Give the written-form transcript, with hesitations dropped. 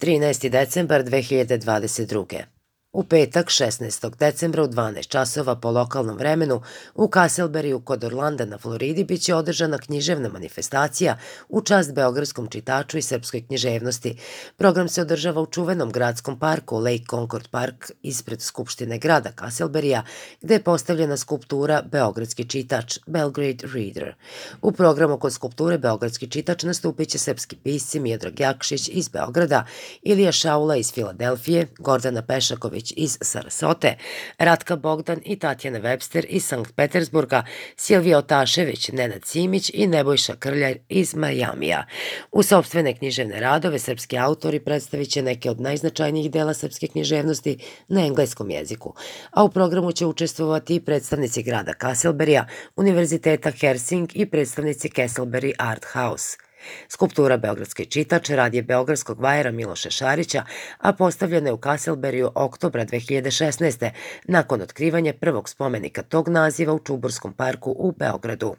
13. decembar 2022. U petak, 16. decembra u 12 časova po lokalnom vremenu u Casselberryu kod Orlanda na Floridi biće održana književna manifestacija u čast beogradskom čitaču i srpskoj književnosti. Program se održava u čuvenom gradskom parku Lake Concord Park ispred Skupštine grada Casselberrya, gde je postavljena skulptura Beogradski čitač, Belgrade Reader. U programu kod skulpture Beogradski čitač nastupit će srpski pisci Miodrag Jakšić iz Beograda, Ilija Šaula iz Filadelfije, Gordana Pešaković iz Sarasote, Ratka Bogdan i Tatjana Webster iz Sankt Petersburga, Silvija Otašević, Nenad Simić i Nebojša Krljar iz Majamija. U sopstvene književne radove srpski autori predstavit će neke od najznačajnijih dela srpske književnosti na engleskom jeziku, a u programu će učestvovati i predstavnici grada Casselberrya, Univerziteta Hersing i predstavnici Casselberry Art House. Skulptura Beogradski čitač rad je beogradskog vajara Miloša Šarića, a postavljena je u Casselberryu oktobra 2016. nakon otkrivanja prvog spomenika tog naziva u Čuburskom parku u Beogradu.